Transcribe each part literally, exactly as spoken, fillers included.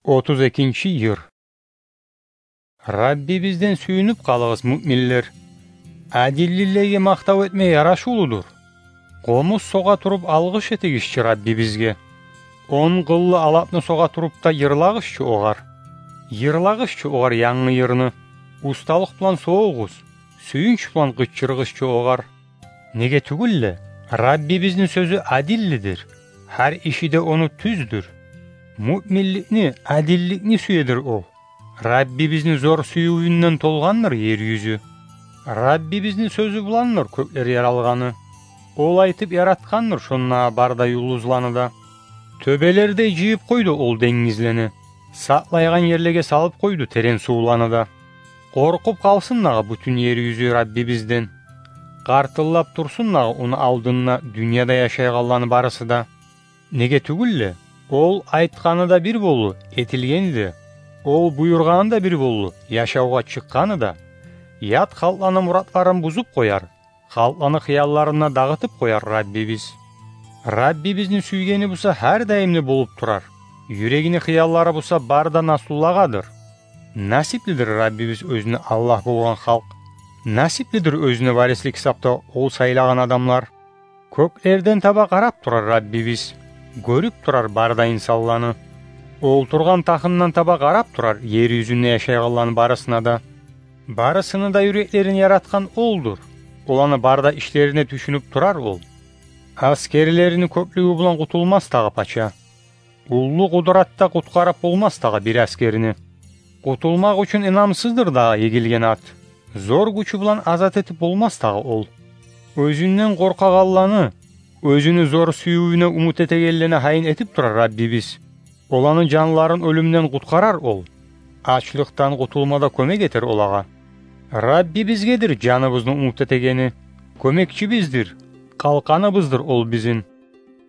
Отуз экинчи йыр. Раббибизден сююнюп къалыгъыз, муъминлер. Адиллилеге макътав этме ярашывлудур. Къомуз согъа туруп алгъыш этигизчи Раббибизге. Он къыллы алапны согъа туруп да йырлагъызчы огъар. Йырлагъызчы огъар янгы йырны. Усталыкъ булан согъугъуз, сююнч булан къычырыгъызчы огъар. Неге тюгюл де, Раббибизни сёзю адиллидир, гьар иши де ону тюздюр. Муъминликни, адилликни сюедир ол. Раббибизни зор сюювюнден толгъандыр ер юзю. Раббибизни сёзю буландыр кёклер яралгъаны. Ол айтып яратгъандыр шонда бар да юлдузланы да. Тёбелердей жыйып къойду ол денгизлени. Сакълайгъан ерлеге салып къойду терен сувланы да. Къоркъуп къалсын дагъы бютюн ер юзю Раббибизден. Къартыллап турсун дагъы ону алдында дюньяда яшайгъанланы барысы да. Неге тюгюл де, ол айтгъаны да бир болду, этилгени де, ол буюргъаны да бир болду, яшавгъа чыкъгъаны да. Ят халкъланы муратларын бузуп къояр, халкъланы хыялларын да дагъытып къояр Раббибиз. Раббибизни сюйгени буса гьар даимли болуп турар, юрегини хыяллары буса бар да наслулагъадыр. Насиплидир Раббибиз оьзюне Аллагь болгъан халкъ. Насиплидир оьзюне варислик гьисапда ол сайлагъан адамлар. Кёклерден таба къарап турар Раббибиз. Гёрюп турар бар да инсанланы. Олтургъан тахындан таба къарап турар ер юзюнде яшайгъанланы барысына да. Барысыны да юреклерин яратгъан олдур. Оланы бар да ишлерине тюшюнюп турар ол. Аскерлерини кёплюгю булан къутулмас дагъы пача. Уллу къудратда къутгъарып болмас дагъы бир аскерни. Къутулмакъ учун инамсыздыр дагъы егилген ат. Зор гючю булан азат этип болмас дагъы ол. Оьзюнден къоркъагъанланы, оьзюню зор сюювюне умут этегенлени гьайын этип турар Раббибиз. Оланы жанларын оьлюмден къутгъарар ол. Ачлыкъдан къутулмада кёмек этер олагъа. Раббибизгедир жаныбызны умут этегени. Кёмекчибиздир, къалкъаныбыздыр ол бизин.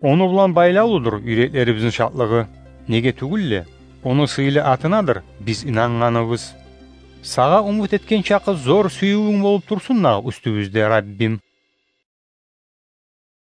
Ону булан байлавлудур юреклерибизни шатлыгъы. Неге тюгюл де, ону сыйлы атынадыр биз инангъаныбыз. Сагъа умут этген чакъы зор сюювюнг болуп турсун дагъы уьстюбюзде, Раббим.